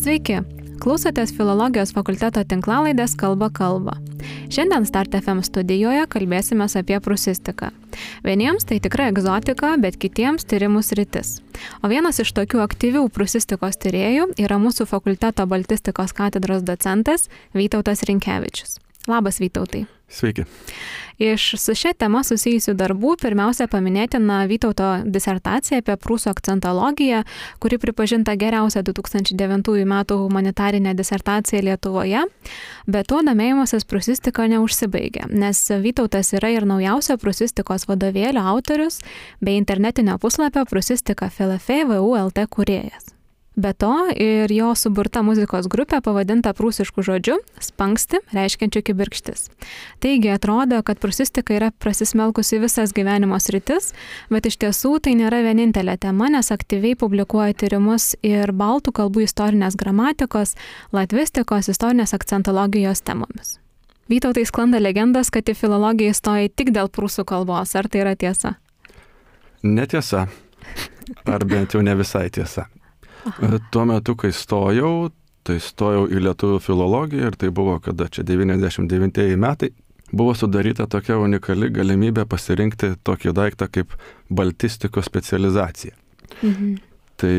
Sveiki, klausotės Filologijos fakulteto tinklalaidės Kalba kalba. Šiandien Start FM studijoje kalbėsime apie prusistiką. Vieniems tai tikra egzotika, bet kitiems tyrimų sritis. O vienas iš tokių aktyvių prusistikos tyrėjų yra mūsų fakulteto baltistikos katedros docentas Vytautas Rinkevičius. Labas, Vytautai. Sveiki. Iš su šia tema susijusių darbų pirmiausia paminėtina Vytauto disertacija apie prūsų akcentologiją, kuri pripažinta geriausia 2009 metų humanitarinė disertacija Lietuvoje, bet to domėjimasis prūsistika neužsibaigia, nes Vytautas yra ir naujausio prūsistikos vadovėlio autorius bei internetinio puslapio Prūsistika FLF VU LT kūrėjas. Be to ir jo suburta muzikos grupė pavadinta prūsišku žodžiu spanksti, reiškiančiu kibirkštis. Taigi atrodo, kad prūsistika yra prasismelkusi visas gyvenimo sritis, bet iš tiesų tai nėra vienintelė tema, nes aktyviai publikuoja tyrimus ir baltų kalbų istorinės gramatikos, latvistikos, istorinės akcentologijos temomis. Vytautai, sklanda legendos, kad į filologiją įstoja tik dėl prūsų kalbos. Ar tai yra tiesa? Netiesa. Ar bent jau ne visai tiesa. Tuo metu, kai stojau į lietuvių filologiją ir tai buvo, kada čia 99 metai, buvo sudaryta tokia unikali galimybė pasirinkti tokį daiktą kaip baltistikos specializacija. Mhm. Tai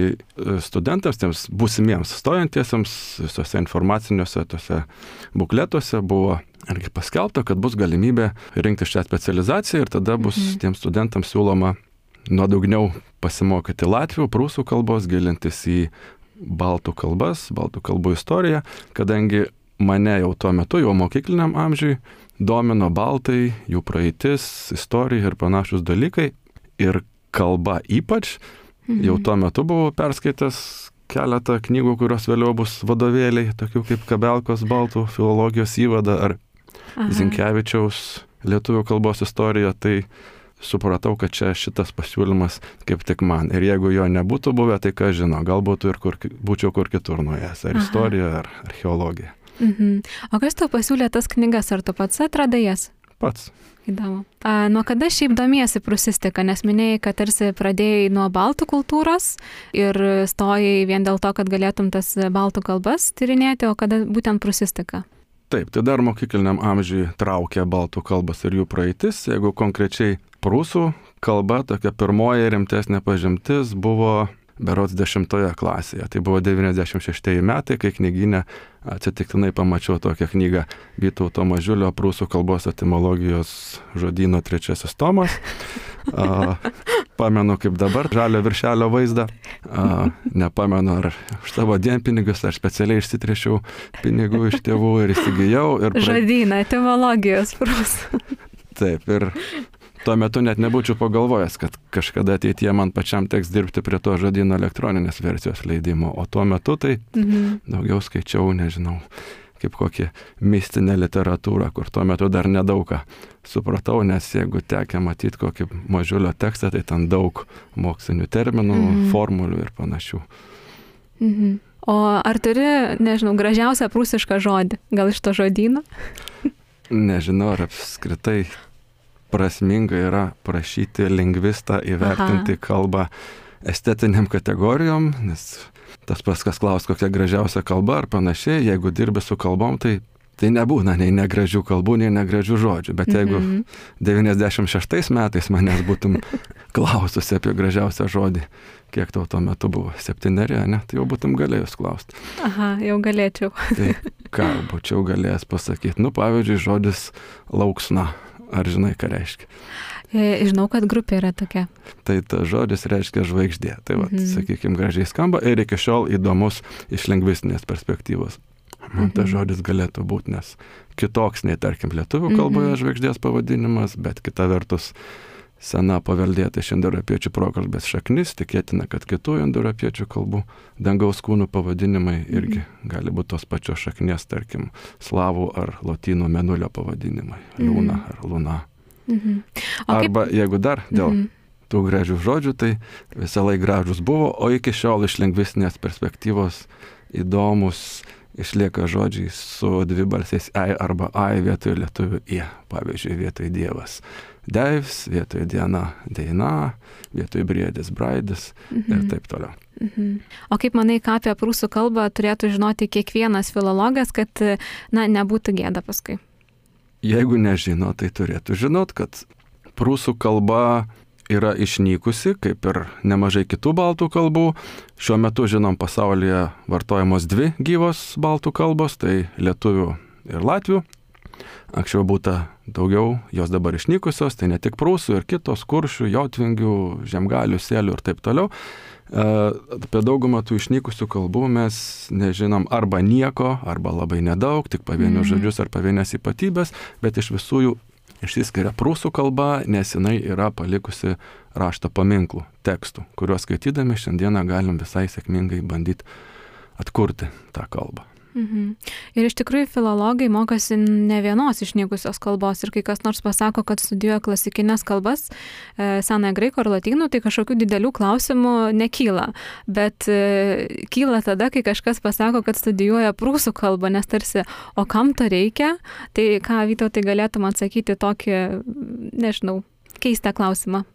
studentams, tiems būsimiems stojantiesiems, visose informaciniuose tose bukletuose buvo irgi paskelbta, kad bus galimybė rinkti šią specializaciją ir tada bus tiems studentams siūloma nuodugniau pasimokyti latvių, prūsų kalbos, gilintis į baltų kalbas, baltų kalbų istoriją, kadangi mane jau tuo metu, jau mokykliniam amžiui, domino baltai, jų praeitis, istorija ir panašus dalykai. Ir kalba ypač, jau tuo metu buvau perskaitęs keletą knygų, kurios vėliau bus vadovėliai, tokių kaip Kabelkos baltų filologijos įvada ar Zinkevičiaus lietuvių kalbos istorija, tai supratau, kad čia šitas pasiūlymas kaip tik man. Ir jeigu jo nebūtų buvę, tai ką žino, galbūt ir būčiau kur kitur nuėjęs, ar istorija, ar archeologija. O kas tau pasiūlė tas knygas, ar tu pats atradai jas? Pats. Įdomu. Nuo kada šiaip domiesi prūsistika, nes minėjai, kad tarsi pradėjai nuo baltų kultūros ir stojai vien dėl to, kad galėtum tas baltų kalbas tyrinėti, o kada būtent prūsistika? Taip, tai dar mokykliniam amžiui traukia baltų kalbas ir jų praeitis. Jeigu konkrečiai prūsų kalba, tokia pirmoji rimtesnė pažintis buvo berods 10 klasėje. Tai buvo 96 metai, kai knygyne atsitiktinai pamačiau tokią knygą Vytauto Mažiulio prūsų kalbos etimologijos žodyno 3 tomas. Pamenu kaip dabar žalio viršelio vaizdą. Nepamenu, ar už savo dienpinigus, ar specialiai išsitrėšiau pinigų iš tėvų ir įsigijau. Žodyną etimologijos prūsų. Taip, ir tuo metu net nebūčiau pagalvojęs, kad kažkada ateityje man pačiam teks dirbti prie to žodyno elektroninės versijos leidimo, o tuo metu tai daugiau skaičiau, nežinau, kaip kokį mistinę literatūrą, kur tuo metu dar nedaug ką supratau, nes jeigu tekia matyti kokį Mažiulio tekstą, tai ten daug mokslinių terminų, formulių ir panašių. O ar turi, nežinau, gražiausią prūsišką žodį, gal iš to žodyno? Nežinau, ar apskritai prasminga yra prašyti lingvistą įvertinti kalbą estetiniam kategorijom, nes tas pats, kas klaus, kokia gražiausia kalba ar panašiai, jeigu dirbi su kalbom, tai nebūna nei negražių kalbų, nei negražių žodžių. Bet jeigu 96 metais manęs būtum klaususi apie gražiausią žodį, kiek tau tuo metu buvo, 7, ne, tai jau būtum galėjus klausti. Jau galėčiau. Tai ką būčiau galėjęs pasakyti? Pavyzdžiui, žodis lauksna. Ar žinai, ką reiškia? Žinau, kad grupė yra tokia. Tai ta žodis reiškia žvaigždė. Tai sakykime, gražiai skamba ir iki šiol įdomus iš lingvistinės perspektyvos. Man tas žodis galėtų būti, nes kitoks nei, tarkim, lietuvių kalboje žvaigždės pavadinimas, bet kita vertus sena paveldėta iš indoeuropiečių prokalbės šaknis, tikėtina, kad kitų indoeuropiečių kalbų dangaus kūnų pavadinimai irgi gali būti tos pačios šaknies, tarkim, slavų ar lotynų mėnulio pavadinimai, liūna ar luna. Arba jeigu dar dėl tų gražių žodžių, tai visą laiką gražus buvo, o iki šiol iš lingvistinės perspektyvos įdomus išlieka žodžiai su dvibalsiais ei arba ai vietoj lietuvių ie. Pavyzdžiui, vietoj dievas deivs, vietoj diena deina, vietoj briedis braidis ir taip toliau. O kaip manai, ką apie prūsų kalbą turėtų žinoti kiekvienas filologas, kad, nebūtų gėda paskui? Jeigu nežino, tai turėtų žinot, kad prūsų kalba yra išnykusi, kaip ir nemažai kitų baltų kalbų. Šiuo metu, žinom, pasaulyje vartojamos dvi gyvos baltų kalbos, tai lietuvių ir latvių. Anksčiau būta daugiau, jos dabar išnykusios, tai ne tik prūsų ir kitos, kuršių, jotvingių, žemgalių, sėlių ir taip toliau. Apie daugumą tų išnykusių kalbų mes nežinom arba nieko, arba labai nedaug, tik pavienius žodžius ar pavienės ypatybės, bet iš visų jų išsiskiria prūsų kalba, nes jinai yra palikusi rašto paminklų, tekstų, kuriuos skaitydami šiandieną galim visai sėkmingai bandyti atkurti tą kalbą. Ir iš tikrųjų filologai mokosi ne vienos išnykusios kalbos ir kai kas nors pasako, kad studijuoja klasikinės kalbas, senąją graikų ar lotynų, tai kažkokių didelių klausimų nekyla. Bet kyla tada, kai kažkas pasako, kad studijuoja prūsų kalbą, nes tarsi, o kam to reikia? Tai ką, Vytautai, galėtum atsakyti tokį, nežinau, keistą klausimą?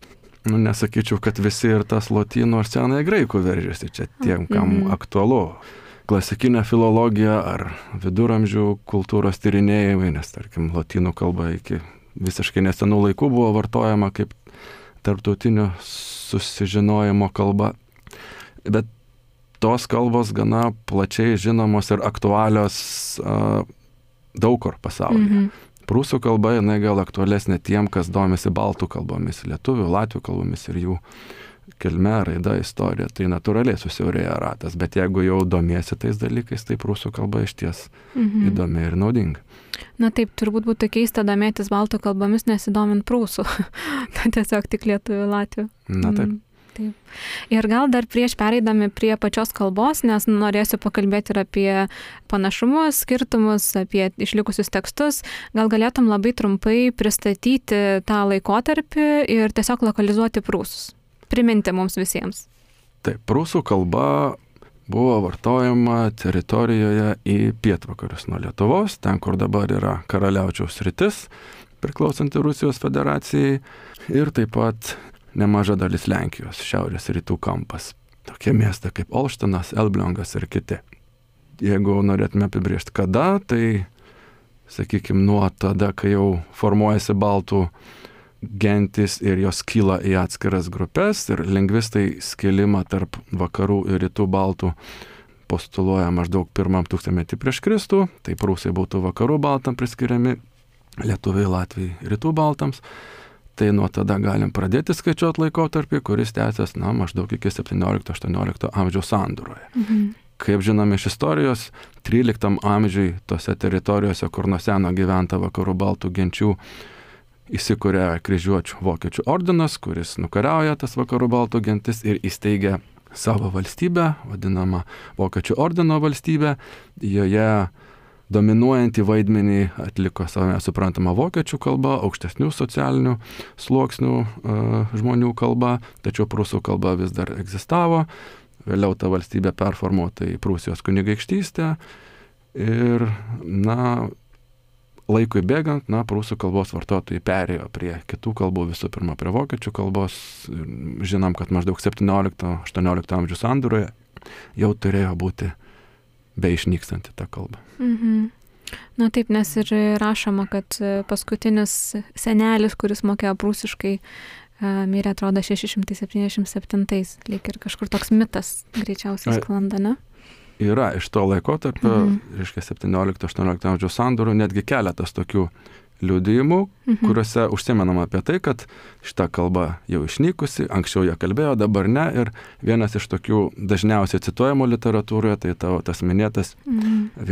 Nesakyčiau, kad visi ir tas lotynų ar senąją graikų veržiasi, čia tiem, kam aktualu. Klasikinė filologija ar viduramžių kultūros tyrinėjimai, nes, tarkim, lotynų kalba iki visiškai nesenų laikų buvo vartojama kaip tarptautinio susižinojimo kalba. Bet tos kalbos gana plačiai žinomos ir aktualios daug kur pasaulyje. Prūsų kalba, jinai gal aktualesnė tiem, kas domisi baltų kalbomis, lietuvių, latvių kalbomis ir jų kilme, raida, istorija, tai natūraliai susiaurėja ratas, bet jeigu jau domiesi tais dalykais, tai prūsų kalba išties įdomi ir naudinga. Na taip, turbūt būtų keista domėtis baltų kalbomis, nesidomint prūsų, tiesiog tik lietuvių, latvių. Na taip. Taip. Ir gal dar prieš pereidami prie pačios kalbos, nes norėsiu pakalbėti ir apie panašumus, skirtumus, apie išlikusius tekstus, gal galėtum labai trumpai pristatyti tą laikotarpį ir tiesiog lokalizuoti prūsus. Priminti mums visiems. Taip, prūsų kalba buvo vartojama teritorijoje į pietvakarius nuo Lietuvos, ten, kur dabar yra Karaliaučiaus sritis, priklausanti Rusijos federacijai, ir taip pat nemaža dalis Lenkijos, šiaurės rytų kampas. Tokie miestai kaip Olštinas, Elbliongas ir kiti. Jeigu norėtume apibrėžti kada, tai, sakykime, nuo tada, kai jau formuojasi baltų gentis ir jos kyla į atskiras grupės ir lingvistai skilimą tarp vakarų ir rytų baltų postuluoja maždaug 1 tūkstantmetį prieš Kristų, tai prūsai būtų vakarų baltam priskiriami, lietuviai, latviai rytų baltams. Tai nuo tada galim pradėti skaičiuoti laikotarpį, kuris tęsiasi maždaug iki 17-18 amžiaus sandūroje. Kaip žinome iš istorijos, 13 amžiui tose teritorijose, kur nuo seno gyventa vakarų baltų genčių, įsikūrė kryžiuočių vokiečių ordinas, kuris nukariauja tas vakarų baltų gentis ir įsteigia savo valstybę, vadinamą vokiečių ordino valstybę. Joje dominuojantį vaidmenį atliko savame suprantama vokiečių kalba, aukštesnių socialinių sluoksnių žmonių kalba, tačiau prūsų kalba vis dar egzistavo. Vėliau ta valstybė performuota į Prūsijos kunigaikštystę ir, laikui bėgant, prūsų kalbos vartotojai perėjo prie kitų kalbų, visų pirma prie vokiečių kalbos. Žinom, kad maždaug 17-18 amžių sandūroje jau turėjo būti beišnykstanti ta kalba. Na taip, nes ir rašoma, kad paskutinis senelis, kuris mokėjo prūsiškai, mirė, atrodo, 677, lyg ir kažkur toks mitas greičiausiai sklanda, ne? Yra iš to laikotarpio, reiškia 17-18 amžiaus sandūrų, netgi keletas tokių liudijimų, kuriuose užsimenama apie tai, kad šita kalba jau išnykusi, anksčiau ją kalbėjo, dabar ne. Ir vienas iš tokių dažniausiai cituojamų literatūroje, tai tavo tas minėtas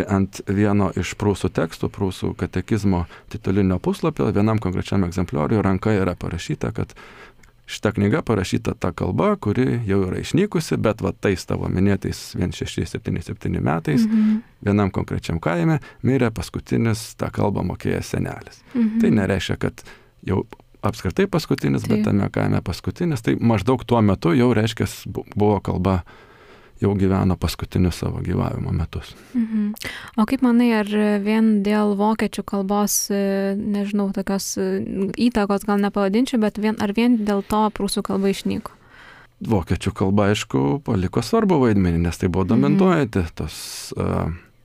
ant vieno iš prūsų tekstų, prūsų katekizmo titulinio puslapio, vienam konkrečiam egzemplioriui ranka yra parašyta, kad šita knyga parašyta ta kalba, kuri jau yra išnykusi, bet va tais tavo minėtais 1677 metais vienam konkrečiam kaime mirė paskutinis tą kalbą mokėjęs senelis. Tai nereiškia, kad jau apskritai paskutinis, bet tame kaime paskutinis, tai maždaug tuo metu jau reiškia buvo kalba jau gyveno paskutinius savo gyvavimo metus. O kaip manai, ar vien dėl vokiečių kalbos, nežinau, tokios įtakos gal nepavadinčiau, bet ar vien dėl to prūsų kalba išnyko? Vokiečių kalba, aišku, paliko svarbu vaidmenį, nes tai buvo dominuojanti tos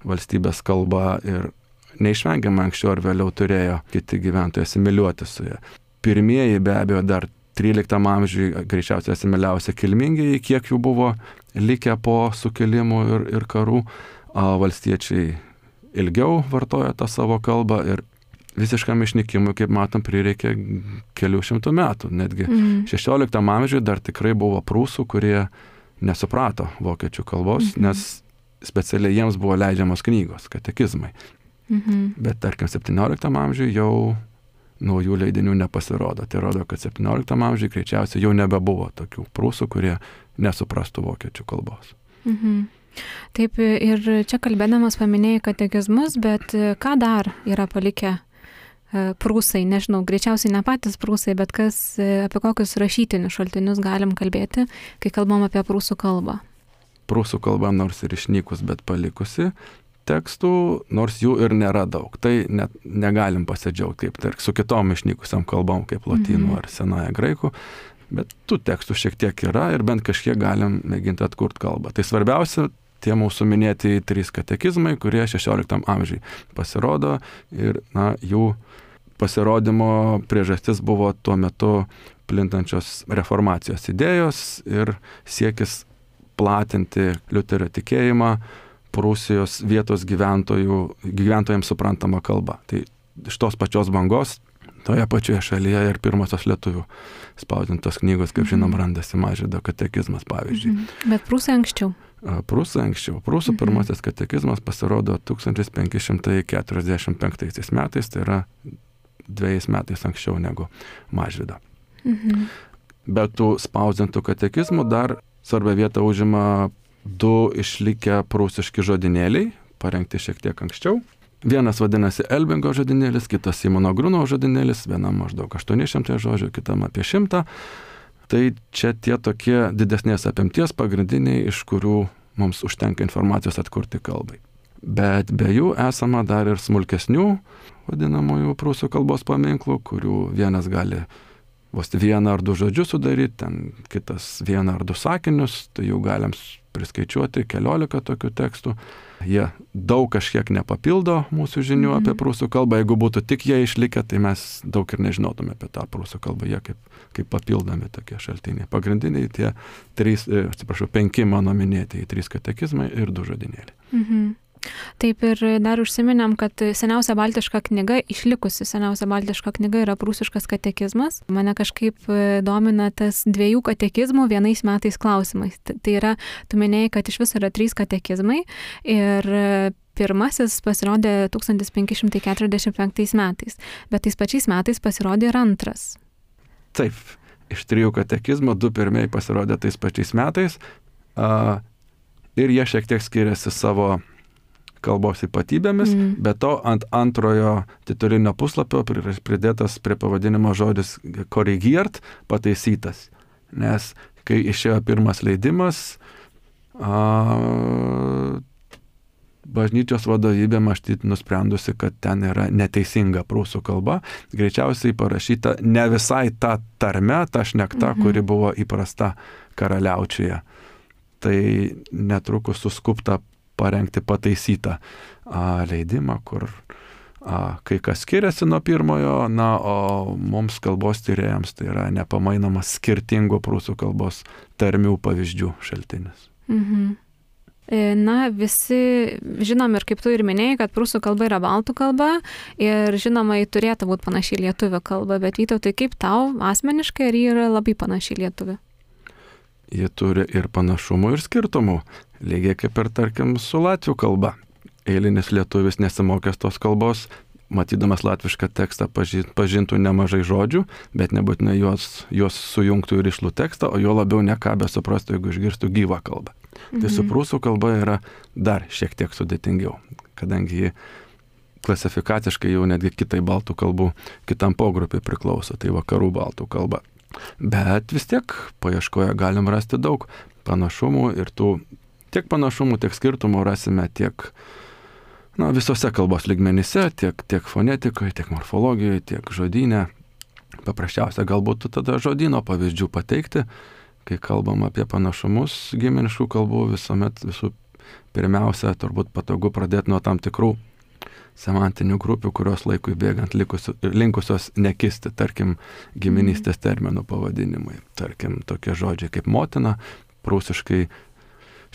valstybės kalba ir neišvengiamai anksčiau ar vėliau turėjo kiti gyventojai asimiliuoti su ją. Pirmieji be abejo dar 13 amžiui greičiausiai asimiliausi kilmingieji, kiek jų buvo likę po sukilimų ir karų. Valstiečiai ilgiau vartojo tą savo kalbą ir visiškam išnykimui, kaip matom, prireikė kelių šimtų metų. Netgi 16 amžiui dar tikrai buvo prūsų, kurie nesuprato vokiečių kalbos, nes specialiai jiems buvo leidžiamos knygos, katekizmai. Bet tarkim 17 amžiui jau naujų leidinių nepasirodo. Tai rodo, kad 17 amžiui greičiausiai jau nebebuvo tokių prūsų, kurie nesuprastų vokiečių kalbos. Taip, ir čia kalbėdamas paminėjai katekizmus, bet ką dar yra palikę prūsai? Nežinau, greičiausiai ne patys prūsai, bet apie kokius rašytinius šaltinius galim kalbėti, kai kalbam apie prūsų kalbą? Prūsų kalba nors ir išnykus, bet palikusi tekstų, nors jų ir nėra daug. Tai net negalim pasidžiaugti kaip su kitom išnykusiam kalbom, kaip lotynų ar senąją graikų, bet tų tekstų šiek tiek yra ir bent kažkiek galim mėginti atkurti kalbą. Tai svarbiausia, tie mūsų minėti 3 katekizmai, kurie 16 amžiui pasirodo ir jų pasirodymo priežastis buvo tuo metu plintančios reformacijos idėjos ir siekis platinti Liuterio tikėjimą Prūsijos vietos gyventojams suprantama kalba. Tai iš tos pačios bangos toje pačioje šalyje ir pirmosios lietuvių spausdintos knygos, kaip žinom, randasi Mažvydo katekizmas, pavyzdžiui. Bet prūsai anksčiau? Prūsai anksčiau. Prūsų pirmasis katekizmas pasirodo 1545 metais, tai yra 2 metais anksčiau negu Mažvydo. Bet tų spausdintų katekizmų dar svarbią vietą užima 2 išlikę prūsiški žodynėliai, parengti šiek tiek anksčiau. Vienas vadinasi Elbingo žodynėlis, kitas Simono Gruno žodynėlis, vienam maždaug 800 žodžių, kitam apie 100. Tai čia tie tokie didesnės apimties pagrindiniai, iš kurių mums užtenka informacijos atkurti kalbai. Bet be jų esama dar ir smulkesnių vadinamųjų prūsų kalbos paminklų, kurių vienas gali vos 1 ar 2 žodžius sudaryti, ten kitas 1 ar 2 sakinius, tai jau galim priskaičiuoti 14 tokių tekstų. Jie daug kažkiek nepapildo mūsų žinių apie prūsų kalbą. Jeigu būtų tik jie išlikę, tai mes daug ir nežinotume apie tą prūsų kalbą. Jie kaip papildomi tokie šaltiniai. Pagrindiniai tie 5 mano minėtieji 3 katekizmai ir 2 žodynėliai. Taip, ir dar užsiminėm, kad seniausia baltiška knyga, išlikusi seniausia baltiška knyga yra prūsiškas katekizmas. Mane kažkaip domina tas 2 katekizmų vienais metais klausimais. Tai yra, tu minėjai, kad iš viso yra 3 katekizmai ir pirmasis pasirodė 1545 metais, bet tais pačiais metais pasirodė ir antras. Taip, iš 3 katekizmų 2 pirmieji pasirodė tais pačiais metais ir jie šiek tiek skiriasi savo kalbos ypatybėmis, bet to ant antrojo titulinio puslapio pridėtas prie pavadinimo žodis korrigiert, pataisytas. Nes kai išėjo pirmas leidimas, bažnyčios vadovybė matyt nusprendusi, kad ten yra neteisinga prūsų kalba, greičiausiai parašyta ne visai ta tarme, ta šnekta, kuri buvo įprasta karaliaučiuje. Tai netrukus suskupta parengti pataisytą leidimą, kur kai kas skiriasi nuo pirmojo, o mums kalbos tyrėjams tai yra nepamainomas skirtingų prūsų kalbos tarmių pavyzdžių šaltinis. Visi žinom ir kaip tu ir minėjai, kad prūsų kalba yra baltų kalba ir žinoma, ji turėtų būti panaši lietuvių kalba, bet Vytautai, kaip tau asmeniškai, ar ji yra labai panaši lietuvių? Ji turi ir panašumų, ir skirtumų. Lygiai kaip ir, tarkim, su latvių kalba. Eilinis lietuvis nesimokęs tos kalbos, matydamas latvišką tekstą pažintų nemažai žodžių, bet nebūtinai juos sujungtų ir išlų tekstą, o jo labiau nekabę suprastų, jeigu išgirstų gyvą kalbą. Tai su prūsų kalba yra dar šiek tiek sudėtingiau, kadangi ji klasifikaciškai jau netgi kitai baltų kalbų, kitam pogrupiai priklauso, tai vakarų baltų kalba. Bet vis tiek paieškoje galim rasti daug panašumų ir tiek panašumų, tiek skirtumų rasime tiek visose kalbos lygmenyse, tiek fonetikoje, tiek morfologijoje, tiek žodyne. Paprasčiausia galbūt tada žodyno pavyzdžių pateikti, kai kalbam apie panašumus giminiškų kalbų, visų pirmiausia, turbūt patogu pradėti nuo tam tikrų semantinių grupių, kurios laikui bėgant linkusios nekisti, tarkim, giminystės terminų pavadinimai. Tarkim, tokie žodžiai kaip motina, prūsiškai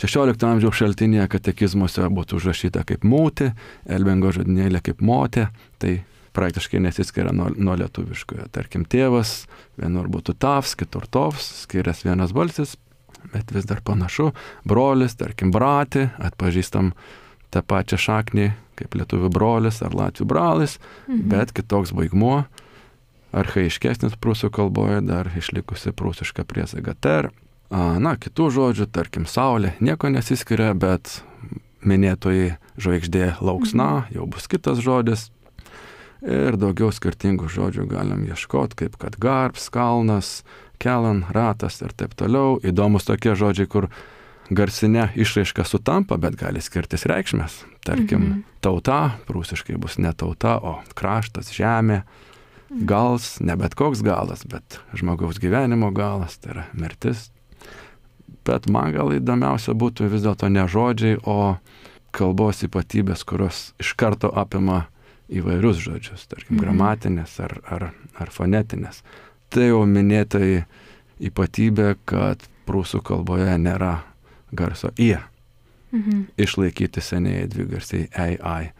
16 amžiaus šaltinėje katekizmuose būtų užrašyta kaip mūti, Elbingo žodynėlė kaip motė, tai praktiškai nesiskiria nuo lietuviškojo. Tarkim, tėvas, vienur būtų tavs, kitur tovs, skirias vienas balsis, bet vis dar panašu. Brolis, tarkim, brati, atpažįstam tą pačią šaknį kaip lietuvių brolis ar latvių bralis, bet kitoks baigmuo, archaiškesnis prūsų kalboje, dar išlikusi prūsiška priesaga ter. Kitų žodžių, tarkim, saulė, nieko nesiskiria, bet minėtoji žvaigždė lauksna, jau bus kitas žodis. Ir daugiau skirtingų žodžių galim ieškoti, kaip kad garbs, kalnas, kelan, ratas ir taip toliau. Įdomus tokie žodžiai, kur garsinė išraiška sutampa, bet gali skirtis reikšmės. Tarkim, tauta, prūsiškai bus ne tauta, o kraštas, žemė. Gals, ne bet koks galas, bet žmogaus gyvenimo galas, tai yra mirtis. Bet man gal įdomiausia būtų vis dėlto ne žodžiai, o kalbos ypatybės, kurios iš karto apima įvairius žodžius, tarkim, gramatinės ar fonetinės. Tai jau minėtai ypatybė, kad prūsų kalboje nėra garso ie. Išlaikyti senieji dvigarsiai ei, ai.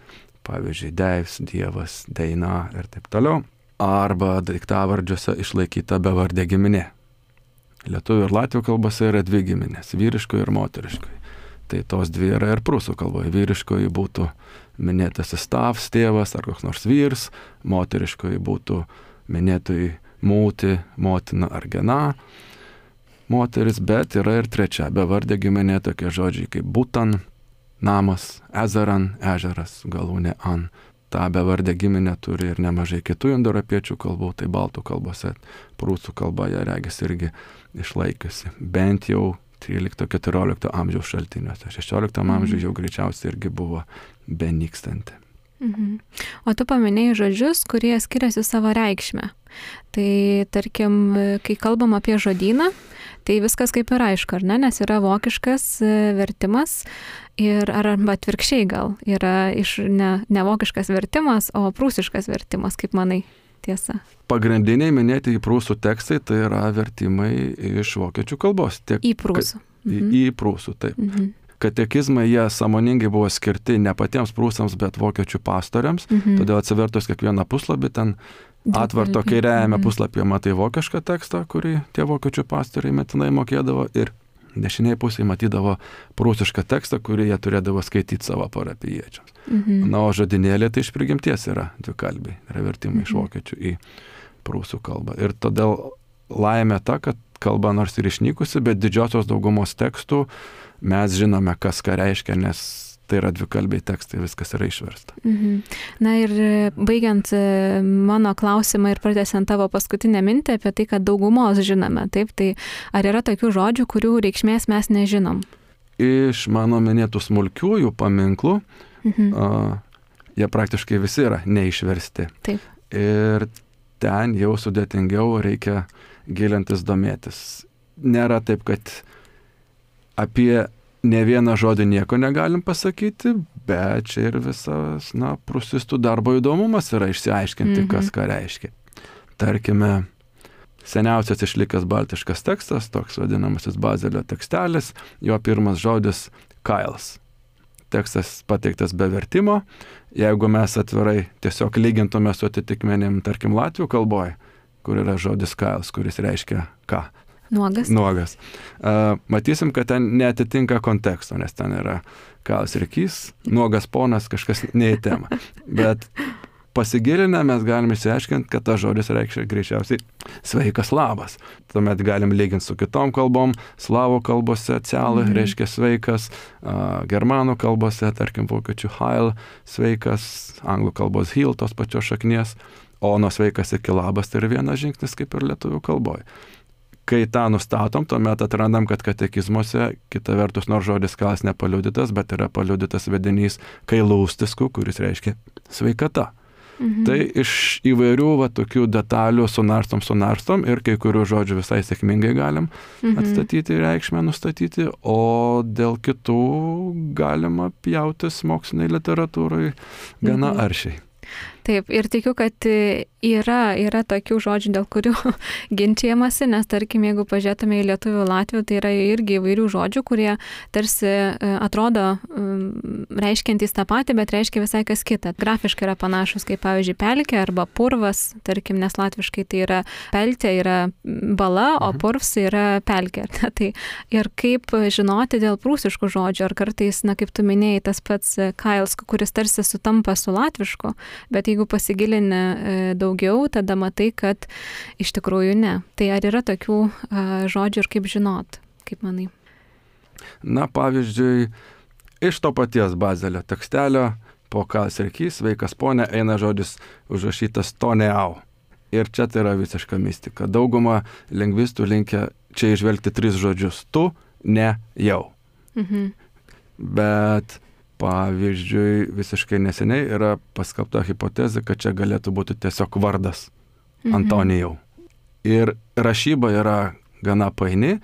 Pavyzdžiui, deivs, dievas, deina ir taip toliau. Arba daiktavardžiuose išlaikyta bevardė giminė. Lietuvių ir latvių kalbose yra dvi giminės, vyriškoji ir moteriškoji. Tai tos dvi yra ir prūsų kalboje. Vyriškoji būtų minėtasis tavs, tėvas ar koks nors vyrs, moteriškoji būtų minėtoji mūti, motina ar gena, moteris, bet yra ir trečia bevardė giminė, tokie žodžiai kaip būtan, namas, ezeran, ežeras, galūnė an. Ta bevardė giminė turi ir nemažai kitų indoeuropiečių kalbų, tai baltų kalbose, prūsų kalboje regis irgi išlaikiusi, bent jau 13-14 amžiaus šaltiniuose. 16 amžiuje jau greičiausiai irgi buvo benykstanti. O tu paminėjai žodžius, kurie skiriasi savo reikšmę. Tai tarkim, kai kalbam apie žodyną, tai viskas kaip ir aišku, ar ne? Nes yra vokiškas vertimas ir arba atvirkščiai gal yra ne vokiškas vertimas, o prūsiškas vertimas, kaip manai, tiesa. Pagrindiniai minėti į prūsų tekstai tai yra vertimai iš vokiečių kalbos. Į prūsų. Į prūsų, taip. Katekizmai jie sąmoningai buvo skirti ne patiems prūsams, bet vokiečių pastoriams. Todėl atsivertus kiekvieną puslapį, ten atvarto kairiajame puslapyje matai vokišką tekstą, kurį tie vokiečių pastoriai metinai mokėdavo, ir dešiniai pusėje matydavo prūsišką tekstą, kurį jie turėdavo skaityti savo parapijiečiams. O žodynėlė tai iš prigimties yra dvikalbiai, yra vertimai iš vokiečių į prūsų kalbą. Ir todėl laimė ta, kad kalba nors ir išnykusi, bet didžiosios daugumos tekstų mes žinome, kas ką reiškia, nes tai yra dvikalbiai tekstai, viskas yra išversta. Na ir baigiant mano klausimą ir pratęsiant tavo paskutinę mintį apie tai, kad daugumos žinome, taip, tai ar yra tokių žodžių, kurių reikšmės mes nežinom? Iš mano minėtų smulkiųjų paminklų, jie praktiškai visi yra neišversti. Taip. Ir ten jau sudėtingiau reikia gilintis, domėtis. Nėra taip, kad apie ne vieną žodį nieko negalim pasakyti, bet čia ir visas, prūsistų darbo įdomumas yra išsiaiškinti, kas ką reiškia. Tarkime, seniausias išlikęs baltiškas tekstas, toks vadinamasis Bazelio tekstelis, jo pirmas žodis kailas. Tekstas pateiktas be vertimo. Jeigu mes atvirai tiesiog lygintume su atitikmenim, tarkim, latvių kalboje, kur yra žodis kailas, kuris reiškia ką? Nuogas. Matysim, kad ten neatitinka konteksto, nes ten yra kailas rykys, nuogas ponas, kažkas ne į temą. Bet pasigilinę mes galime išsiaiškinti, kad tas žodis reiškia greičiausiai sveikas labas. Tuomet galim lyginti su kitom kalbom. Slavų kalbose cialai reiškia sveikas, germanų kalbose, tarkim, vokiečių heil, sveikas, anglų kalbos heal, tos pačios šaknies, o nuo sveikas iki labas tai yra vienas žingsnis kaip ir lietuvių kalboje. kai tą nustatom, tuomet atrandam, kad katekizmuose, kita vertus, nors žodis kalas nepaliudytas, bet yra paliudytas vedinys kailūstisku, kuris reiškia sveikata. Tai iš įvairių tokių detalių sunarstom ir kai kurių žodžių visai sėkmingai galim atstatyti reikšmę, nustatyti, o dėl kitų galima pjautis moksliniai literatūrai gana aršiai. Taip, ir tikiu, kad yra tokių žodžių, dėl kurių ginčiamasi, nes tarkim, jeigu pažiūrėtume į lietuvių latvių, tai yra irgi įvairių žodžių, kurie tarsi atrodo reiškiantys tą patį, bet reiškia visai kas kita. Grafiškai yra panašus, kaip pavyzdžiui pelkė arba purvas, tarkim, nes latviškai tai yra peltė, yra bala, o purvs yra pelkė. Tai ir kaip žinoti dėl prūsiškų žodžių, ar kartais, kaip tu minėjai, tas pats kails, kuris tarsi sutampa su latvišku, bet jeigu pasigilini daugiau, tada matai, kad iš tikrųjų ne. Tai ar yra tokių žodžių ir kaip žinot, kaip manai? Na, pavyzdžiui, iš to paties Bazelio tekstelio po kals ir kys, sveikas ponė, eina žodis užrašytas toneau. Ir čia tai yra visiška mistika. Dauguma lingvistų linkia čia išvelgti 3 žodžius. Tu, ne, jau. Bet pavyzdžiui, visiškai neseniai yra paskelbta hipotezė, kad čia galėtų būti tiesiog vardas Antonijau. Ir rašyba yra gana paini,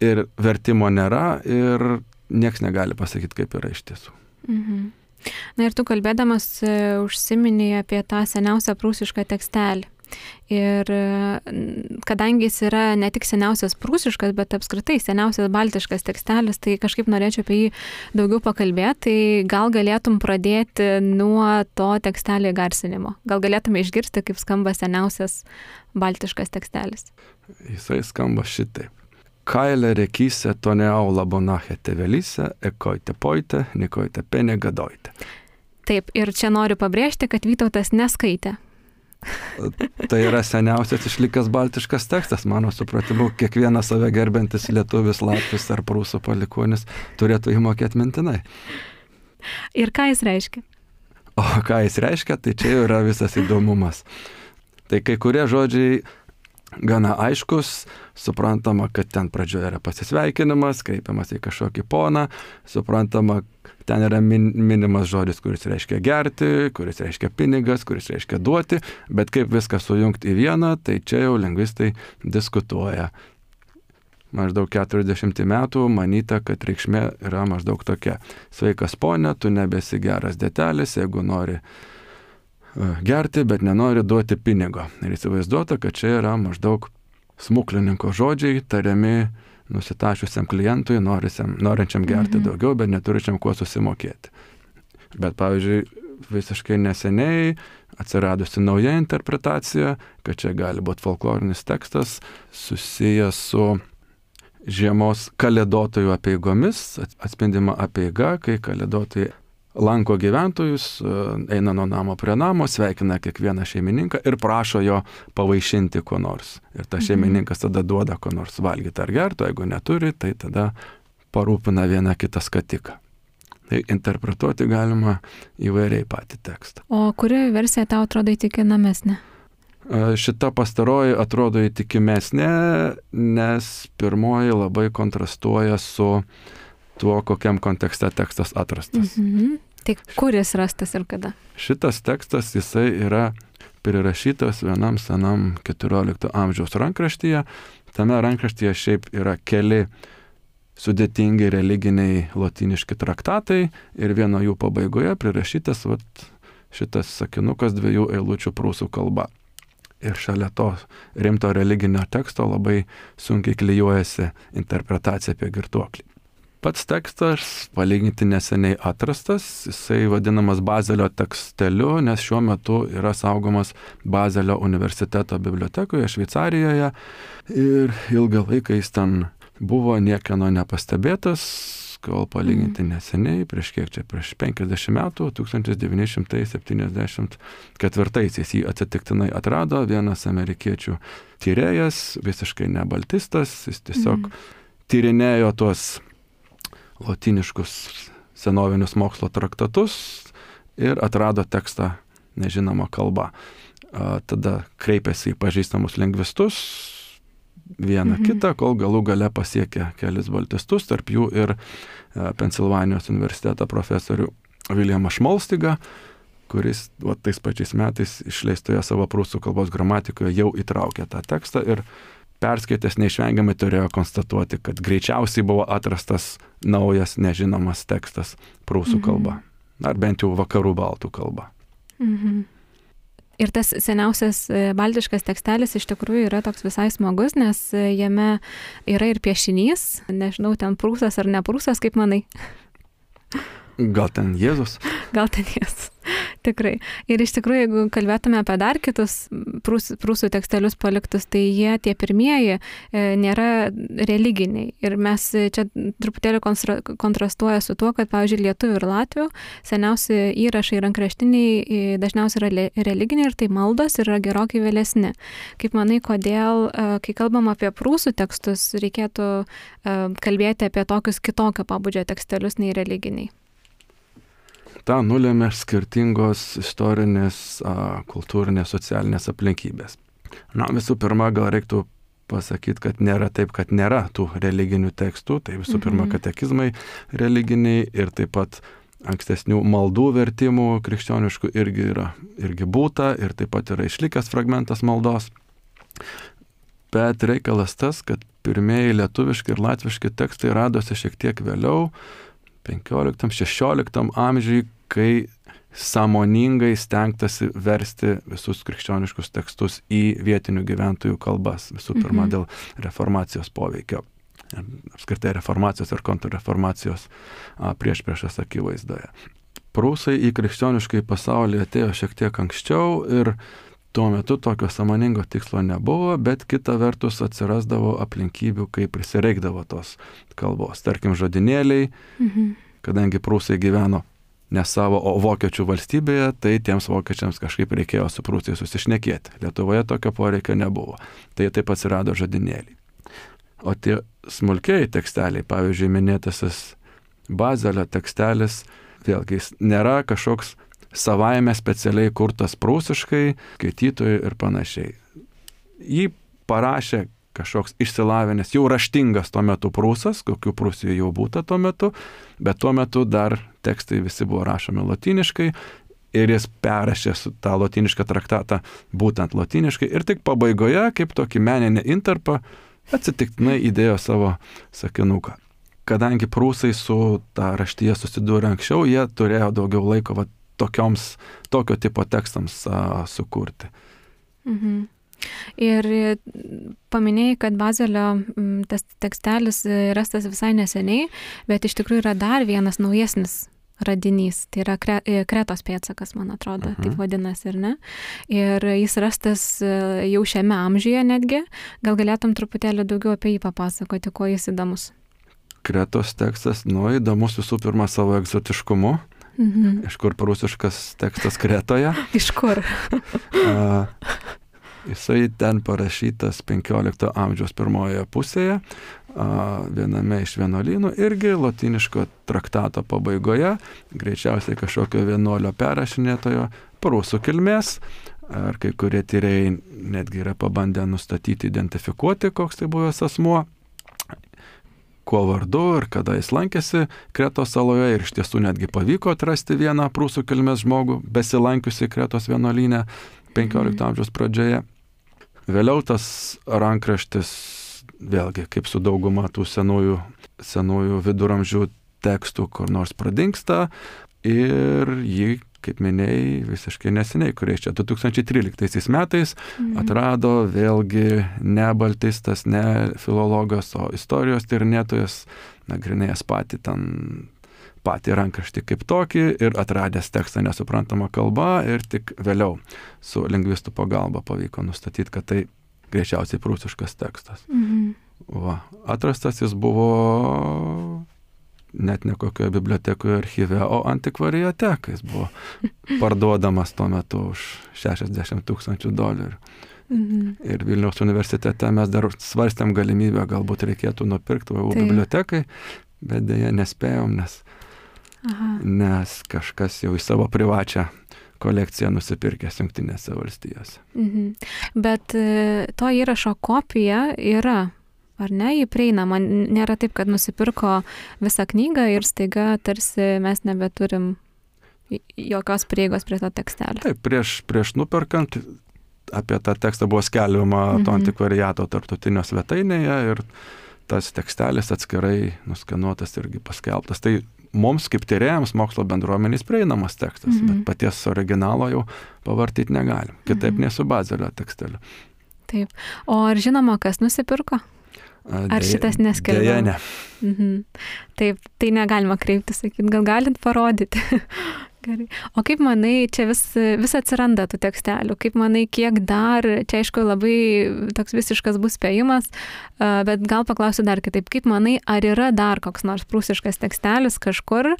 ir vertimo nėra, ir nieks negali pasakyti, kaip yra iš tiesų. Na ir tu kalbėdamas užsiminėjai apie tą seniausią prūsišką tekstelį. Ir kadangi jis yra ne tik seniausias prūsiškas, bet apskritai seniausias baltiškas tekstelis, tai kažkaip norėčiau apie jį daugiau pakalbėti, tai gal galėtum pradėti nuo to tekstelio garsinimo. Gal galėtume išgirsti, kaip skamba seniausias baltiškas tekstelis. Jisai skamba šitaip. Kailė rekyse toneau labonache tevelyse, ekoite poite, nikoite pene gadoite. Taip, ir čia noriu pabrėžti, kad Vytautas neskaitė. Tai yra seniausias išlikęs baltiškas tekstas, mano supratimu, kiekvienas save gerbiantis lietuvis, latvis ar prūsų palikuonis turėtų jį mokėti mintinai. Ir ką jis reiškia? O ką jis reiškia, tai čia yra visas įdomumas. Tai kai kurie žodžiai gana aiškus, suprantama, kad ten pradžioje yra pasisveikinimas, kreipiamas į kažkokį poną, suprantama, ten yra minimas žodis, kuris reiškia gerti, kuris reiškia pinigas, kuris reiškia duoti, bet kaip viską sujungti į vieną, tai čia jau lingvistai diskutuoja. Maždaug 40 metų manyta, kad reikšmė yra maždaug tokia. Sveikas ponė, tu nebesi geras detelis, jeigu nori gerti, bet nenori duoti pinigo. Ir įsivaizduota, kad čia yra maždaug smuklininko žodžiai tariami nusitašiusiam klientui, norinčiam gerti daugiau, bet neturičiam kuo susimokėti. Bet, pavyzdžiui, visiškai neseniai atsiradusi nauja interpretacija, kad čia gali būti folklorinis tekstas susijęs su žiemos kalėdotojų apeigomis, atspindima apeiga, kai kalėdotojai lanko gyventojus, eina nuo namo prie namo, sveikina kiekvieną šeimininką ir prašo jo pavaišinti ko nors. Ir ta šeimininkas tada duoda ko nors valgyti ar gerti, jeigu neturi, tai tada parūpina vieną kitą skatiką. Tai interpretuoti galima įvairiai patį tekstą. O kuri versija tau atrodo įtikinamesnė? Šita pastaroji atrodo įtikimesnė, nes pirmoji labai kontrastuoja su tuo, kokiam kontekste tekstas atrastas. Tai kur jis rastas ir kada? Šitas tekstas, jisai yra prirašytas vienam senam 14 amžiaus rankraštyje. Tame rankraštyje šiaip yra keli sudėtingi religiniai lotyniški traktatai ir vieno jų pabaigoje prirašytas šitas sakinukas 2 eilučių prūsų kalba. Ir šalia to rimto religinio teksto labai sunkiai klijuojasi interpretacija apie girtuoklį. Pats tekstas palyginti neseniai atrastas, jisai vadinamas Bazelio teksteliu, nes šiuo metu yra saugomas Bazelio universiteto bibliotekoje Šveicarijoje ir ilgą laiką jis ten buvo niekieno nepastebėtas, kol palyginti neseniai, prieš 50 metų, 1974 jį atsitiktinai atrado vienas amerikiečių tyrėjas, visiškai ne baltistas, jis tiesiog tyrinėjo tuos lotyniškus senovinius mokslo traktatus ir atrado tekstą nežinoma kalba. Tada kreipėsi į pažįstamus lingvistus, vieną kitą, kol galų gale pasiekė kelis baltistus, tarp jų ir Pensilvanijos universiteto profesorių Williamą Šmolstigą, kuris tais pačiais metais išleistoje savo prūsų kalbos gramatikoje jau įtraukė tą tekstą ir perskaitęs neišvengiamai turėjo konstatuoti, kad greičiausiai buvo atrastas naujas nežinomas tekstas prūsų kalba, ar bent jau vakarų baltų kalba. Ir tas seniausias baltiškas tekstelis iš tikrųjų yra toks visai smagus, nes jame yra ir piešinys, nežinau, ten prūsas ar ne prūsas, kaip manai? Gal ten Jėzus? Gal ten Jėzus, tikrai. Ir iš tikrųjų, jeigu kalbėtume apie dar kitus prūsų tekstelius paliktus, tai jie tie pirmieji nėra religiniai. Ir mes čia truputėlį kontrastuoja su tuo, kad, pavyzdžiui, lietuvių ir latvių seniausi įrašai rankraštiniai dažniausiai yra religiniai ir tai maldos yra gerokai vėlesni. Kaip manai, kodėl, kai kalbam apie prūsų tekstus, reikėtų kalbėti apie tokius kitokio pobūdžio tekstelius nei religiniai? Ta nulėmė skirtingos istorinės, kultūrinės, socialinės aplinkybės. Na, visų pirma, gal reiktų pasakyti, kad nėra taip, kad nėra tų religinių tekstų. Tai visų pirma, katekizmai religiniai ir taip pat ankstesnių maldų vertimų krikščioniškų irgi būta ir taip pat yra išlikęs fragmentas maldos. Bet reikalas tas, kad pirmieji lietuviški ir latviški tekstai radosi šiek tiek vėliau, 15-16 amžiui, kai sąmoningai stengtasi versti visus krikščioniškus tekstus į vietinių gyventojų kalbas. Visų pirma, dėl reformacijos poveikio. Apskritai reformacijos ir kontrreformacijos priešpriešos akivaizdoje. Prūsai į krikščioniškai pasaulį atėjo šiek tiek anksčiau ir tuo metu tokio sąmoningo tikslo nebuvo, bet kita vertus atsirasdavo aplinkybių, kai prisireikdavo tos kalbos. Tarkim, žodinėliai, kadangi prūsai gyveno ne savo, o vokiečių valstybėje, tai tiems vokiečiams kažkaip reikėjo su prūsais susišnekėti. Lietuvoje tokio poreikio nebuvo. Tai taip atsirado žodinėliai. O tie smulkiai teksteliai, pavyzdžiui, minėtasis Bazelio tekstelis, vėlgi jis nėra kažkoks savaime specialiai kurtas prūsiškai, skaitytojui ir panašiai. Jį parašė kažkoks išsilavinęs, jau raštingas tuo metu prūsas, kokių Prūsijoje jau būta tuo metu, bet tuo metu dar tekstai visi buvo rašomi lotyniškai ir jis perrašė tą lotynišką traktatą būtent lotyniškai ir tik pabaigoje, kaip tokį meninį intarpą, atsitiktinai įdėjo savo sakinuką. Kadangi prūsai su tą raštyje susidūrė anksčiau, jie turėjo daugiau laiko tokio tipo tekstams sukurti. Ir paminėjai, kad Bazelio tas tekstelis rastas visai neseniai, bet iš tikrųjų yra dar vienas naujesnis radinys. Tai yra Kretos pėdsakas, man atrodo, taip vadinasi, ir ne? Ir jis rastas jau šiame amžiuje netgi. Gal galėtum truputėlį daugiau apie jį papasakoti, kuo jis įdomus? Kretos tekstas, įdomus visų pirma savo egzotiškumu. Iš kur prūsiškas tekstas Kretoje? Iš kur? Jisai ten parašytas 15 amžiaus pirmojoje pusėje, viename iš vienuolynų, irgi lotyniško traktato pabaigoje, greičiausiai kažkokio vienuolio perrašinėtojo prūsų kilmės, ar kai kurie tyrėjai netgi yra pabandę nustatyti, identifikuoti, koks tai buvęs asmuo, kuo vardu ir kada jis lankėsi Kretos saloje ir iš tiesų netgi pavyko atrasti vieną prūsų kilmės žmogų, besilankiusi Kretos vienuolyne 15 amžiaus pradžioje. Vėliau tas rankraštis, vėlgi, kaip su dauguma tų senųjų viduramžių tekstų, kur nors pradingsta ir jį, kaip minėjai, visiškai neseniai, kurie čia 2013 metais atrado vėlgi ne baltistas, ne filologas, o istorijos tyrinėtojas, nagrinėjęs patį rankraštį kaip tokį ir atradęs tekstą nesuprantamą kalbą ir tik vėliau su lingvistų pagalba pavyko nustatyti, kad tai greičiausiai prūsiškas tekstas. Atrastas jis buvo net ne kokioje bibliotekoje archyve, o antikvariate, kai jis buvo parduodamas tuo metu už $60,000. Ir Vilniaus universitete mes dar svarstėm galimybę, galbūt reikėtų nupirkti bibliotekai, bet dėja nespėjom, nes kažkas jau į savo privačią kolekciją nusipirkęs Jungtinėse valstijose. Bet to įrašo kopija yra, ar ne, jį prieinama? Nėra taip, kad nusipirko visą knygą ir staiga tarsi mes nebeturim jokios prieigos prie to tekstelio. Taip, prieš nuperkant apie tą tekstą buvo skelbiama to antikvariato tarptautinio svetainėje ir tas tekstelis atskirai nuskenuotas irgi paskelbtas. Tai mums kaip tyrėjams mokslo bendruomenės prieinamas tekstas, bet paties originalo jau pavartyti negalim. Kitaip nei su Bazelio teksteliu. Taip. O ar žinoma, kas nusipirko? Ar šitas neskelbiama? Deja, ne. Taip, tai negalima kreipti, sakyti, gal galit parodyti. Gerai. O kaip manai, čia vis atsiranda tų tekstelių, kaip manai, kiek dar, čia aišku labai toks visiškas bus spėjimas, bet gal paklausiu dar kitaip, kaip manai, ar yra dar koks nors prūsiškas tekstelis kažkur,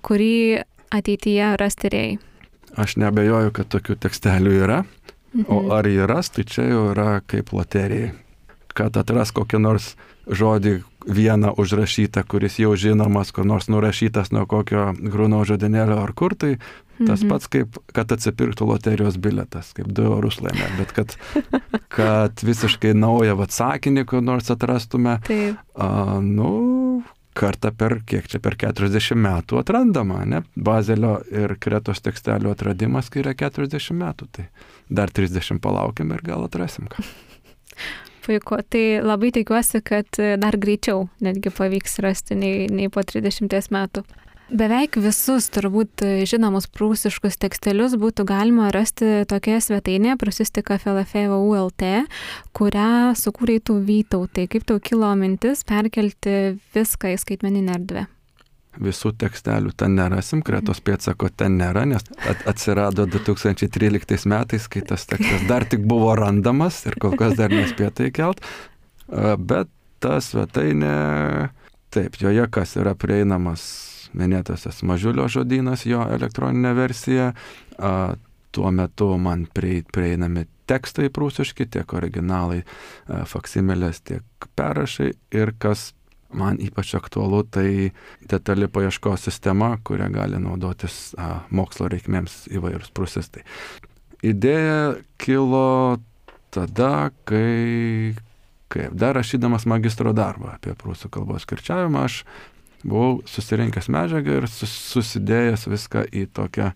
kurį ateityje ras tyrėjai? Aš neabejoju, kad tokių tekstelių yra, o ar jį ras, tai čia jau yra kaip loterijai. Kad atras kokį nors žodį vieną užrašytą, kuris jau žinomas, kur nors nurašytas nuo kokio Grunau žodynėlio ar kur, tai tas pats kaip, kad atsipirktų loterijos biletas, kaip 2 eurus laimė, bet kad visiškai naują sakinį, kur nors atrastume, kartą per 40 metų atrandama, ne? Bazelio ir Kretos tekstelių atradimas, kai yra 40 metų, tai dar 30 palaukim ir gal atrasim ką. Puiku, tai labai tikiuosi, kad dar greičiau netgi pavyks rasti nei po 30 metų. Beveik visus turbūt žinomus prūsiškus tekstelius būtų galima rasti tokioje svetainėje prūsistika.flf.lt, kurią sukūrei tu Vytautai. Kaip tau kilo mintis perkelti viską į skaitmeninę erdvę? Visų tekstelių ten nerasim, Kretos pėdsako ten nėra, nes atsirado 2013 metais, kai tas tekstas dar tik buvo randamas ir kol kas dar nespėta įkelt, bet ta svetainė, taip, joje kas yra prieinamas minėtasis Mažiulio žodynas, jo elektroninė versija, tuo metu man prieinami tekstai prūsiški, tiek originalai, faksimilės, tiek perrašai ir kas man ypač aktualu, tai detali paieškos sistema, kurią gali naudotis mokslo reikmėms įvairūs prūsistai. Idėja kilo tada, kai dar rašydamas magistro darbą apie prūsų kalbos kirčiavimą, aš buvau susirinkęs medžiagą ir susidėjęs viską į tokią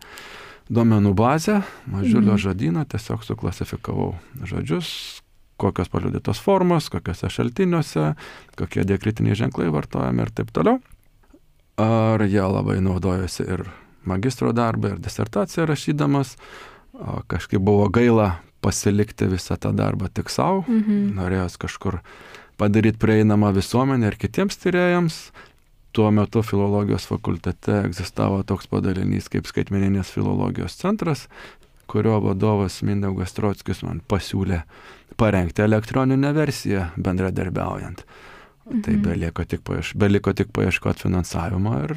duomenų bazę, Mažiulio žodyną, tiesiog suklasifikavau žodžius, kokios paliudytos formos, kokiuose šaltiniuose, kokie diakritiniai ženklai vartojami ir taip toliau. Ar jie labai naudojosi ir magistro darbą, ir disertaciją rašydamas. Kažkaip buvo gaila pasilikti visą tą darbą tik savo. Norėjos kažkur padaryti prieinamą visuomenę ir kitiems tyrėjams. Tuo metu filologijos fakultete egzistavo toks padalinys kaip skaitmeninės filologijos centras, kurio vadovas Mindaugas Trockis man pasiūlė parengti elektroninę versiją bendradarbiaujant. Tai beliko tik paieškoti finansavimo ir